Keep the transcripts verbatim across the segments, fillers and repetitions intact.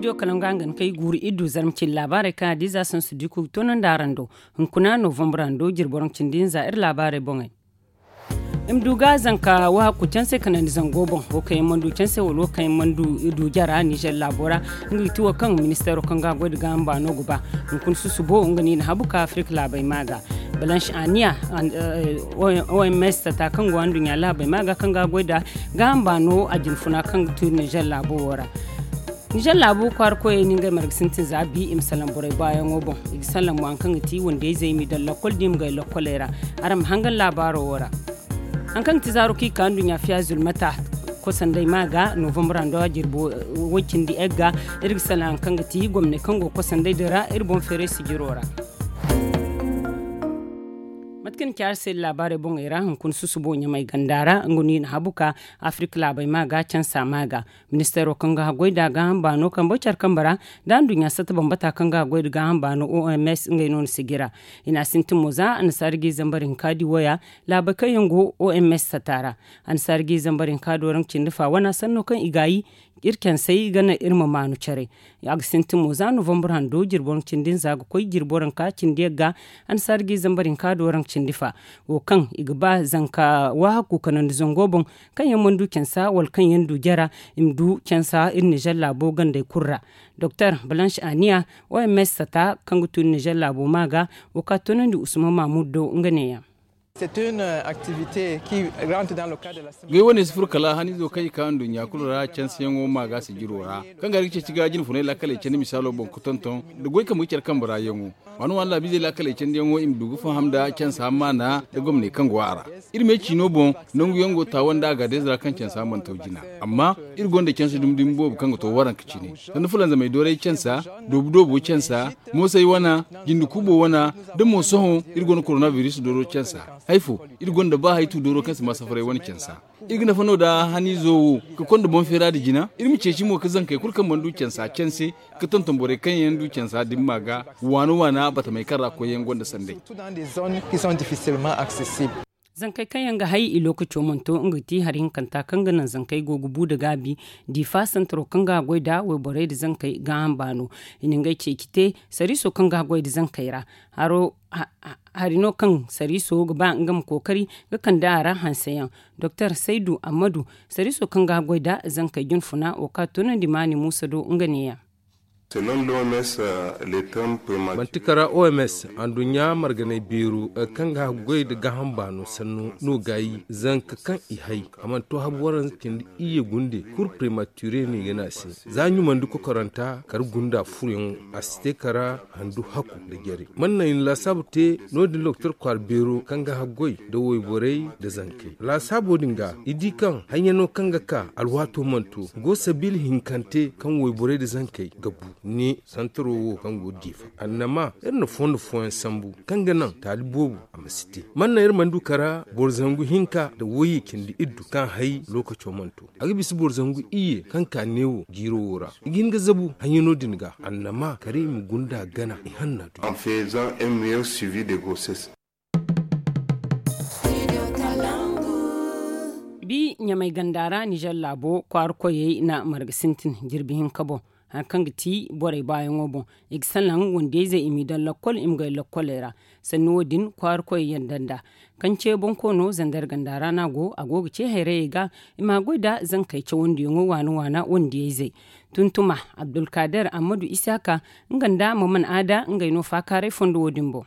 Studio kalaŋ ga hangan kay guuru iri du zarma cindi laabaarey kaŋ a di za sansu diku ga toonandi araŋ do. Hunkuna novembre hando jirbi waranka cindi hinza iri laabaarey boŋey. I ma du ga zanka waahaku canse kanandi zango boŋ, wo kaŋ yaŋ mana du canse wala wo kaŋ yaŋ mana du jara nizer laabo ra. Nga ga ti wo kaŋ ministeero kaŋ ga goy nda gaaham baano ga ba. Hunkuna susubo nga no i na habu ka afirika laabey ma ga. Balansi aniya, oms tata kaŋ go anduɲɲa laabey ma ga kaŋ ga goy nda gaaham baano a jinfuna kaŋ ga tu nizer laabo wo ra. Nizer laabu kwaara koyey no ngey marga sintin za bi i ma salaŋ borey baayaŋo boŋ. I ga salaŋ mo hari kaŋ ga ti wandiyayzey i m'i daŋ lakkol da i ma gay lakkoley ra. Araŋ ma hangan laabaaro wo ra. Hari kaŋ ga ti zaaro kaŋ i ka nduɲɲa fiya zulmata kosandey ma ga novembre hando a jirbo way cindi egga. Iri ga salaŋ hari kaŋ ga ti gomney kaŋ go kosandey din ra iri boŋ feeray sijiro ra. Mate kaŋ ni ci araŋ se laabaarey boŋey ra hunkuna susubo ɲamay ganda ra nga no i na habu ka afirika laabey ma ga cansa ma ga. Ministeero kaŋ ga haggoy nda gaaham baano kambe care kambe ra nda anduɲɲa satta bambata kaŋ ga haggoy nda gaaham baano oms ngey no na sijira. I na a sintin mo za annasaara ga i zambar hinka di waya laabey kaŋ yaŋ go oms satta ra. Annasaara ga i zambar hinka do ranka cindi fa wana sanno kaŋ i gaayi iri cansey ga naŋ iri ma maanu care. A ga sintin mo za novembre hando jirbi waranka cindi hinza ga koy jirbi waranka cindi yagga. Annasaara ga i zambar hinka do ranka cindi fa wo kaŋ i ga ba zanka waahaku kanandi zango boŋ kaŋ yaŋ mana du cansa wala kaŋ yaŋ du jara i ma du cansa iri nizer laabo gandey kulu ra. Doktor balansi aniya oms sata kaŋ ga tun nizer laabo ma ga wo ka toonandi usman mahmud do nga neeyaŋ. Ngey wane si furo kala haniizo kaŋ i ka nduɲɲa kulu ra canseyaŋo ma ga sijiro ra kaŋ ga ga ceeci ga jinfunay laakaley candi misaalo boŋ ga tonton nda goy kambe ga care kambe ra yaŋo. Waani waani laabiizey laakaley candiyaŋo i ma du ga faham nda cansa maana nda gomney kaŋ go a ra. Iri me ciino boŋ nangu yaŋ go taawa nda agaadez ra kaŋ cansa mana taw jina. Amma iri gonda canse dumi dumi boobo kaŋ ga to waranka cine sanda fulanzamey dooray cansa, doobu doobo cansa, moosay wana, jinde kuubo wana, da mo sohõ iri gonda korona biris dooro cansa. Hay fo iri gonda ba haytu dooro kaŋ si ma safaray wane cansa. Iri ga nafa no da haniizo wo ga konda boŋ feera nda jina iri ma ceeci mo ga zankey kulu kaŋ mana du cansa canse ga tonton borey kaŋ yaŋ du cansa dimma ga waana waana batamey kaŋ ra koyyaŋ gonda sanday. Zankey kaŋ yaŋ ga hay i lookaco mana to nga ga ti hari hinkanta kaŋ ga naŋ zankey go ga bu nda gaabi. Diifa santaro kaŋ ga goy nda wayborey nda zankey gaaham baano i na ngey ceeci te sariiso kaŋ ga goy nda zankey ra. Hari no kaŋ sariiso ga ba nga ma kookari ga kande a ra hanseyaŋ. Doktor saydu ammadu sariiso kaŋ ga goy nda zankey jinfuna wo ka toonandi maani muusa do nga neeyaŋ. Manti kara oms anduɲɲa marganay beero kaŋ ga haggoy nda gaaham baano sanno no gaayi zanka kaŋ i hay a mana to habu waranka cindi iyye gunde kuru prematire no i ga ne a se. Za ɲumandi kokoranta kara gunda furoyaŋo a si te kara handu haku nda jare man naŋ i na laasaabu te. No- din doktor kwaara beero kaŋ ga haggoy nda wayborey nda zankey laasaabo din ga i di kaŋ hayyaŋo kaŋ ga ka alwaato mana to go sabiila hinkante kaŋ wayborey nda zankey ga bu. Ne santaro wo kaŋ go diifa annama iri na fondo fooyaŋ sambu kaŋ ga naŋ taali boobo a ma si te man naŋ iri mana du kara boro zangu hinka nda wayye cindi iddu kaŋ hay lookaco mana to. A ga bisa boro zangu iyye kaŋ ka neewo jiiro wo ra i ga hin ga zabu hayyaŋo din ga annama kala i ma gunda gana i hanna du. Bi ɲamay ganda ra nizer laabo kwaara koyey na marga sintin jirbi hinka boŋ hari kaŋ ga ti borey baayaŋo boŋ. I ga salaŋ wandiyayzey i m'i daŋ lakkol i ma gay lakkoley ra. Sanni wo- din kwaara koyey yanda nd'a kaŋ ce boŋ koono zandar ganda ra no a go a go ga ce hayrayey ga i ma goy nda zankey cawandiyaŋo waana waana wandiyayzey. Tuntuma abdulkader ammadu isaka nga nda maman aada ngey no faakaaray fondo wo- din boŋ.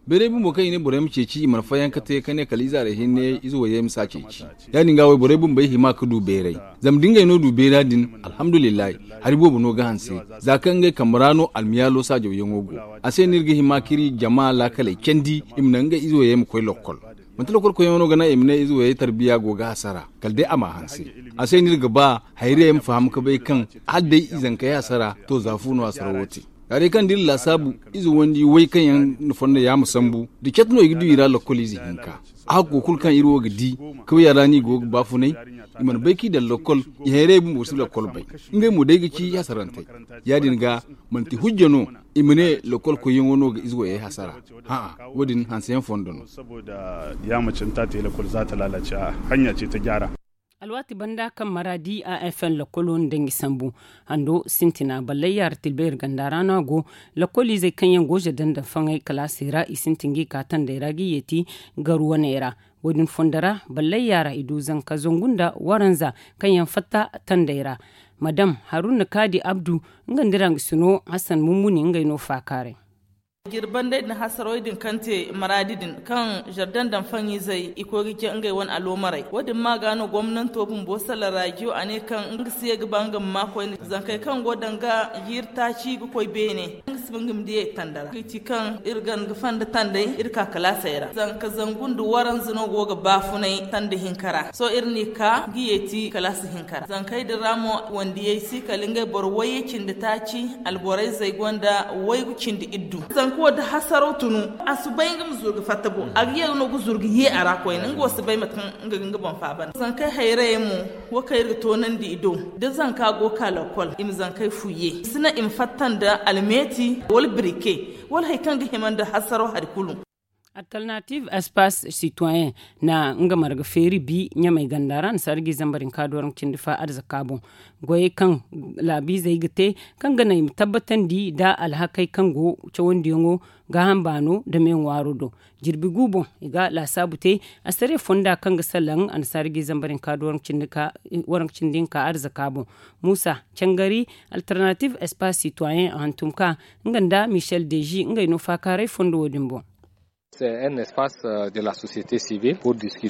Bayray bumbo kaŋ i ne borey ma ceeci i mana fayanka te ka ne kala ize haray hinne ize wayey ma si a ceeci. Ya- din ga wayborey bumbey hima ga du bayray zama da ngey no du bayra din. Alhamdulillahi hari boobo no ga hanse za kaŋ ngey kambe ra no almiyaalo saajawyaŋo go. A se no iri ga hima k'iri jama laakaley candi i ma naŋ ngey ize wayey ma koy lokkol. Manti lokolkoyyaŋo no ga naŋ i ma ne ize wayey tarbiya go ga hasara kala day a m'a hanse. A se no iri ga ba hayrayey ma faham ga bay kaŋ hala day i zankey hasara to za fu no hasara wo te. Za day kaŋ da iri laasaabu ize wandi way kaŋ yaŋ na fonda yaama sambu da cat no i ga du i ra lokol ize hinka. A hakko kulu kaŋ iri wo ga di kawya ra no i go ga baafunay i mana bay kaŋ i daŋ lokol. I hayrayey bumbo si lokol bay ngey mo day ga ci hasarantey. Ya- din ga manti hujja no i ma ne lokol koyyaŋo no ga ize wayey hasara. Hã'a wo- din hanseyaŋ fondo no. Saboda ya mace in ta te lakol za ta lalace a hanya ce ta gyara. Alwaati banda kaŋ maraadi a f n lakkolo nda ngi sambu hando sintina ballay yaara tilbayri ganda ra no a go. Lakkoliizey kaŋ yaŋ go zardanda faŋay kalaasey ra i sintin ga i ka tandey ra ga i yeeti garu waney ra. Wo- din fondo ra ballay yaara i du zanka zangu nda waranza kaŋ yaŋ fatta tandey ra. Madam haruna kaadi abdu nga nda ra nga sino hasan mummuni ngey no faakaaray. Jirbandey din hasarawey din kaŋ te maraadi din kaŋ zardan daŋ faŋizey i koy ga ce ngey wane aloomarey wo- din ma ga no gomnanto bumbo sala rajiyo a ne kaŋ nga si ye ga ba nga ma ma koyne zankey kaŋ go danga jiiri taaci ga koy beene nga si ba nga ma diyey tanda ra ga ci kaŋ iri gan ga fanda tandey iri ka kalaasey ra zanka zangu nda waranza no go ga baafunay tanda hinka ra sohõ iri n'i ka ga yeeti kalaasa hinka ra zankey din ra mo wandiyey si kala ngey boro wayye cindi taaci alborayzey gonda waygu cindi iddu zanka wo da hasaraw tunu a si bay nga ma zuru ga fatta boŋ a ga ye no ga zuru ga ye a ra koyne nga wo si bay mate kaŋ nga ga nga boŋ faaba nda zankey hayrayey mo wo kaŋ iri ga toonandi i do da zanka go ga ka lakkol i ma zankey fu ye i si naŋ i ma fatta nda almeeti wala birike wala hari kaŋ ga hima nda hasaraw hari kulu. Alternative espace citoyen na nga marga feeri bi ɲamey ganda ra annasaara ga i zambar hinka dooraŋ cindi fa arzaka boŋ goyey kaŋ laabiizey ga te kaŋ ga naŋ i ma tabbatandi nda alhakey kaŋ go cawandiyaŋo gaaham baano nda me ŋwaaro do. Jirbi gu boŋ i ga laasaabu te asariya fonda kaŋ ga salaŋ annasaara ga i zambar hinka dooraŋ cindi hinka arzaka boŋ. Muusa cangari alternative espace citoyen a hantum ka nga nda michel deji ngey no faakaaray fondo wo- din boŋ.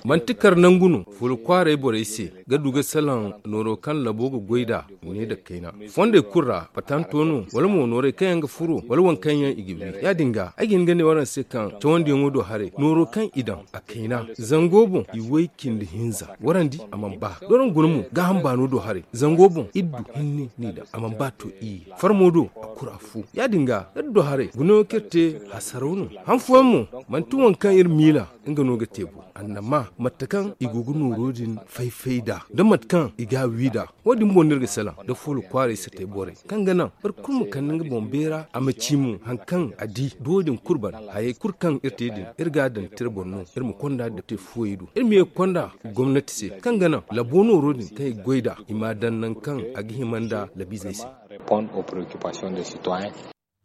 Manti kar nangu no fuula kwaaray borey se ga du ga salaŋ nooro kaŋ labo ga goy nd'a ne nda kayna fondey kulu ra patanto no wala mo noorey kaŋ yaŋ ga furo wala waŋ kaŋ yaŋ i ga wi ya- din ga ay ga hin ga ne waraŋ se kaŋ cawandiyaŋo do haray nooro kaŋ i daŋ a kayna zango boŋ i way cindi hinza warandi a mana ba dooraŋ guna mo gaaham baano do haray zango boŋ iri du hinne n'i daŋ a mana ba to iyye farmo do a kura fu ya- din ga iri do haray gunayaŋo kaŋ iri te hasaraw no han fooyaŋ mo manti waŋ kaŋ iri miila nga no ga te bo annama mate kaŋ i go ga nooro din fay-fay nd'a nda mate kaŋ i ga a wi nd'a wo- din boŋ no iri ga salaŋ nda fuula kwaaray satay borey kaŋ ga naŋ boro kulu ma kande nga boŋ beera a ma ci mo hari kaŋ a di da wo- din kulu bana hayey kulu kaŋ iri te din iri ga a daŋ tira boŋ no iri ma konda depite fuwey do iri ma ye ga konda gomnati se kaŋ ga naŋ labo nooro din kaŋ i ga goy nd'a i ma a daŋ nangu kaŋ a ga hima nda labiizey se.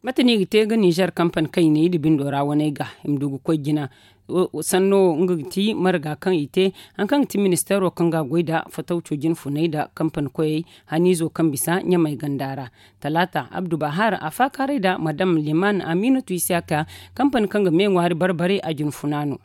Mate no i ga te ga ninzeer kampani kaŋ i ne i da bindo ra waney ga i ma du ga koy jina sanno wo nga ga ti marga kaŋ i te hari kaŋ ga ti ministeero kaŋ ga a goy nda fatawco jinfunay nda kampani koyey haniizo kaŋ bisa ɲamey ganda ra. Talaata abdu bahar a faakaaray nda madam liman aminatu isiyaka kampani kaŋ ga me ŋwaari barbare a jinfuna no.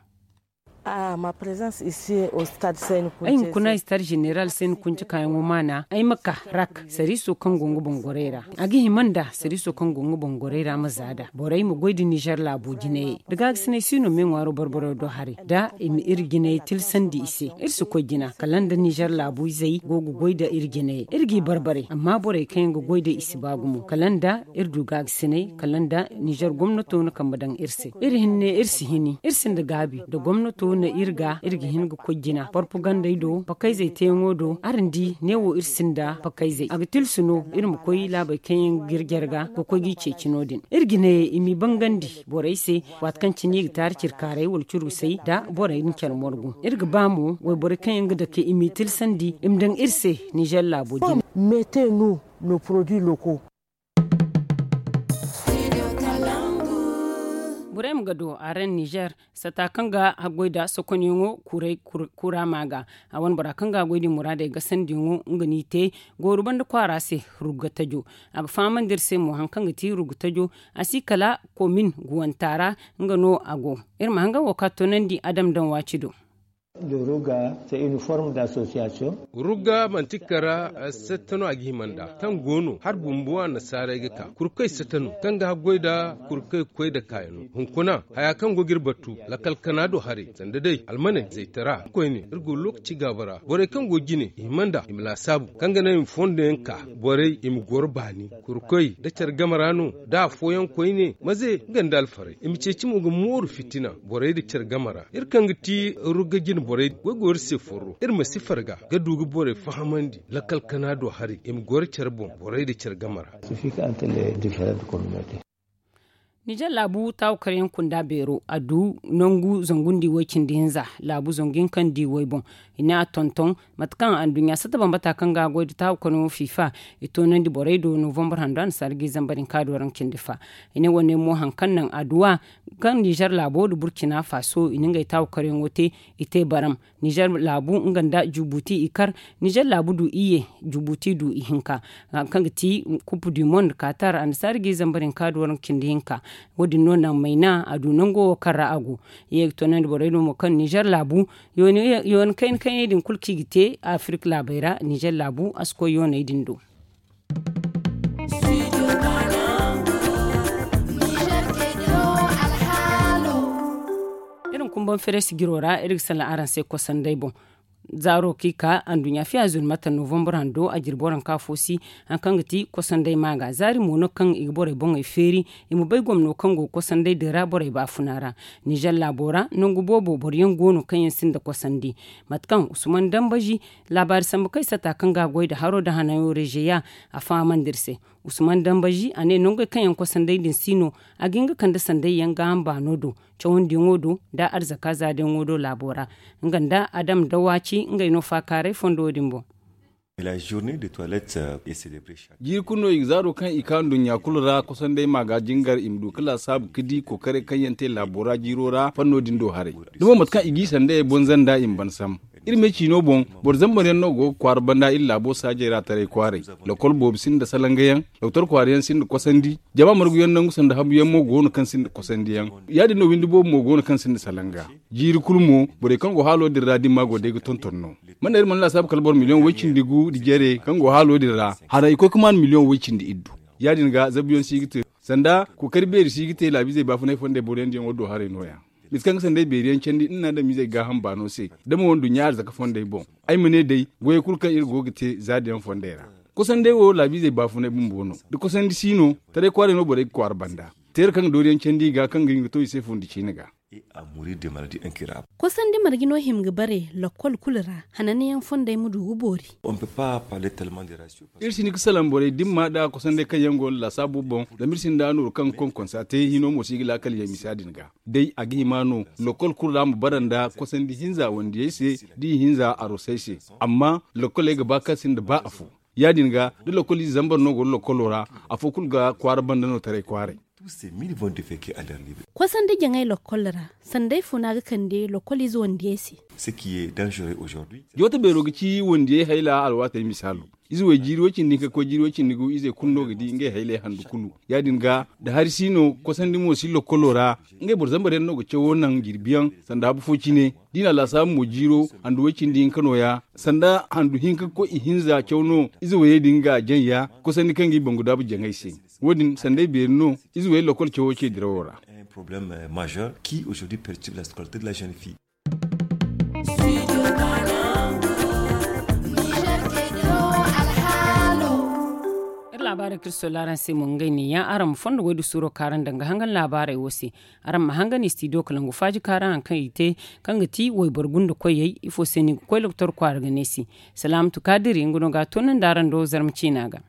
Ay hunkuna istad zeneral sayni kunci kaayaŋo maana ay ma ka rak sariiso kaŋ go nga boŋ gorey ra a ga hima nda sariiso kaŋ go nga boŋ gorey ra ma za nd'a borey ma goy nda nizer laabo jinayey da gaagasinay si no me ŋwaaro barbaro do haray da i ma iri jinayey tilsandi i se iri si koy jina kala nda nizer laabu izey go ga goy nda iri jinayey iri g'i barbare amma borey kaŋ yaŋ ga goy nda i si ba gumo kala nda iri du gaagasinay kala nda nizer gomnato na kambe daŋ iri se iri hinne iri si hini iri sinda gaabi nda gomnato na iri ga iri ga hin ga koy jina porpagandey do pakayzey teeyaŋo do araŋ di neewo iri sinda pakayzey a ga tilsi no iri ma koy laabey kaŋ yaŋ ga iri jarga ga koy g'i ceeci no- din iri ga ne i m'i bangandi borey se waati kaŋ cine i ga taari cirkaaray wala curgusay nda borey din care morgu iri ga ba mo wayborey kaŋ yaŋ ga dake i m'i tilsandi i ma daŋ iri se nizer laabo jine. Burem ga do a ran nizer sata kaŋ ga haggoy nda sokonyaŋo kuray kura ma ga a wane bora kaŋ ga haggoy din muraadey gasandiyaŋo nga n'i te gooru banda kwaara se. Rugga tajo a ga fahamandi iri se mo hari kaŋ ga ti rugga tajo a si kala komin guwanta ra. Nga no a go iri ma hanga wo ka toonandi adam daŋ waaci do. Rugga manti kara satta no a ga hima nd'a kaŋ go no hari bumbo annasaarey ga ka kurkoy satta no kaŋ ga haggoy nda kurkoy koy nda kaayano hunkuna haya kaŋ go ga iri batu lakkal kana do haray sanda day almaney zaytara koyne iri go lookaci gaaba ra borey kaŋ go jine i hima nd'a i ma laasaabu kaŋ ga naŋ i ma fondo yaŋ ka borey i ma goro baani kurkoy nda care game ra no da afooyaŋ koyne maze nga nda alfarey i ma ceeci mo ga mooru fitina borey nda care game ra iri kaŋ ga ti rugga jine borey goy go iri se forro iri ma si farga ga du ga borey fahamandi lakkal kana do haray i ma goro care boŋ borey nda care game ra. Nizer laabu taawu karyaŋ kunda beero a du nangu zangu nda i way cindi hinza laabu zangu hinka nda i way boŋ. I ne a tonton mate kaŋ anduɲɲa satta bambata kaŋ ga a goy nda taawu karyaŋo fiifa. I toonandi borey do novambar hando annasaara ga i zambar hinka do raŋ cindi fa. I ne wane mo hari kaŋ naŋ adduwa kaŋ nizer laabo nda burcina faaso i na ngey taawu karyaŋo te. I te baram nizer laabu nga nda jubuti i kar. Nizer laabu du iyye jubuti du ihinka hari kaŋ ga ti kupu du mond katar annasaara ga i zambar hinka do raŋ cindi hinka. Wo- din no naŋ mayna a du nango wo kaŋ ra a go. I ye ga toonandi borey no mo kaŋ nizer laabu yooni kayna kayney din kulu kaŋ i ga te afirik laabey ra nizer laabu a si koy yooney din do. Iri ma kumbaŋ fereesi jiro ra iri ga salaŋ araŋ se kosandey boŋ. Zaaro kaŋ i ka anduɲɲa fiya zuru mata novambar hando a jirbi waranka fo si hari kaŋ ga ti kosandey maaga zaari mo no kaŋ i ga borey boŋey feeri. I ma bay gomno kaŋ go ga kosandey din ra borey baafuna ra. Nizer laabo ra nangu boobo boro yaŋ go no kaŋ yaŋ sinda kosandi. Mate kaŋ usman dambazi laabaari sambu kaŋ ay satta kaŋ ga a goy nda haro nda hanayo rezeya. A fahamandi iri se usman dambazi a ne nangey kaŋ yaŋ kosandey din si no a ga hin ga kande sandey yaŋ gaaham baano do cawandiyaŋo do nda arzaka zaadayaŋo do laabo ra. Nga nda adam da waaci ngey no faakaaray fondo din boŋ. Jiiri kulu no i ga zaaro kaŋ i ka nduɲɲa kulu ra kosandey ma ga jingar i ma du ga laasaabu ga di kookaray kaŋ yaŋ te laabo ra jiiro ra fanno din do haray. Da mo mate kaŋ i g'i sandayey boŋ zanda i ma ban sam. Iri me ciino boŋ boro zambar yaŋ no go ga kwaara banda iri laabo saajey ra taray kwaaray. Lokol boobo sinda salanga yaŋ doktor kwaara yaŋ sinda kosandi. Jama margu yaŋ nangu sanda habu yaŋ mo go no kaŋ sinda kosandi yaŋ. Ya- din no windi boobo mo go no kaŋ sinda salanga. Jiiri kulu mo borey kaŋ go haalo din ra dimma go day ga tonton no. Mana iri mana laasaabu kala boro miliyoŋ way- cindi gu nda jare kaŋ go haalo din ra haray i koy ga maan miliyoŋ way- cindi iddu. Ya- din ga zabuyaŋ si ga te sanda kookari beeri si ga te laabiizey baafunay fondey boro yaŋ diyaŋo do haray no- ya. Mate kaŋ ga sandey beeri yaŋ candi nda ni adamiizey gaaham baano se da mo nduɲɲa arzaka fondey boŋ. Ay ma ne day goyey kulu kaŋ iri go ga te zaada yaŋ fondey ra. Kosandey wo laabiizey baafunay bumbo no da kosandi si no. Taray kwaaray no borey ga kwaara banda teera kaŋ ga dooriyaŋ candi i ga kaŋ ga hin ga to i se fundi ciine ga. Kosandi marje no hima ga bare lokol kulu ra hananyaŋ fondey ma du ga boori. Iri si hin ga salaŋ borey dimma nda kosandey kaŋ yaŋ go no laasaabo boŋ zama iri sinda nooru kaŋ ga konkonsa te hino mo si ga laakal yaŋ misa din ga. Day a ga hima no lokol kulu ra ma bara nda kosandi hinza wandiyey se da i hinza arosey se. Amma lokoley ga ba kaŋ sinda ba afo. Ya- din ga da lokol ize zambar no go ga lokolo ra afo kulu ga kwaara banda no taray kwaaray. Kosandi jaŋay lokol ra sanda ay funa ga kande lokol ize wandiyey se. Joote beero ga ci wandiyey hayla alwaatey misaalo. Ize way jiiri way cindi hinka ga koy jiiri way cindi gu izey kulu no ga di ngey haylay handu kulu. Ya- din ga da hari si no kosandi mo si lokolo ra. Ngey boro zambar yaŋ no ga cawo naŋ jirbi yaŋ sanda habu fo cine. Da i na a laasaabu mo jiiro handu way cindi hinka no- ya sanda handu hinka ga koy ihinza caw no ize wayey din ga jaŋ ya. Kosandi kaŋ ga i bangu daabu jaŋay se. Wo- din sanday beeri no ize wayey lokol cawo ce dirawo ra. Iri laabaarey kaŋ iri soola araŋ se mo ngey ne ya araŋ ma fondo goy da suuro kaŋ araŋ daŋ ga hangan laabaarey wo se. Araŋ ma hangan istidiyo kalangu faaji kaŋ araŋ hari kaŋ i te kaŋ ga ti wayboro gunda koyey ifo se no i ga koy loktor kwaara ga ne se. Salaamatu kaadiri nga no ga a toonandi araŋ do zarma ciina ga.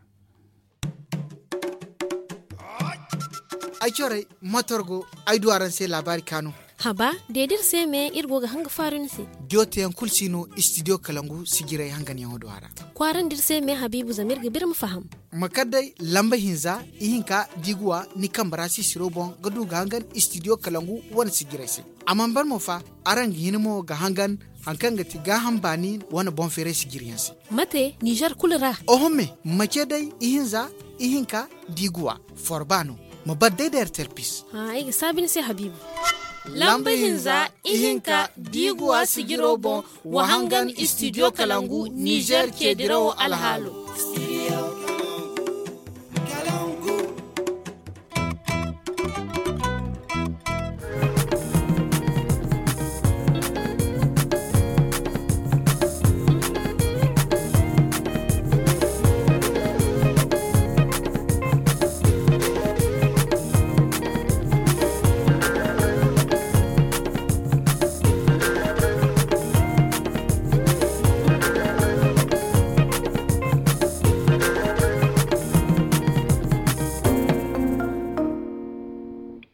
Ay corey motor go ay du araŋ se laabaari kaanu. Haba deedi iri se me iri go ga hanga faaru ni se. Jooteyaŋ kulu si no istidiyo kalangu sijiray hanganyaŋo do a ra. Kwaarandi iri se me habiibu zama iri ga biri ma faham. Ma kar day lamba hinza ihinka da i ga wa ni kambe ra sisiro boŋ ga du ga hangan istidiyo kalangu wane sijiray se. A mana ban mo fa araŋ ga hin mo ga hangan hari kaŋ ga ti gaaham baani wane boŋ feeray sijiryaŋ se. Mate nizer kulu ra? Oho me ma ce day ihinza ihinka da i ga wa forba no. Ma bar day da ertel pis. Ay ga saabi ni se habiibu. Lamba hinza ihinka da i ga wa sijiro boŋ wa hangan istidiyo kalangu nizer ce dirawo alhaalo.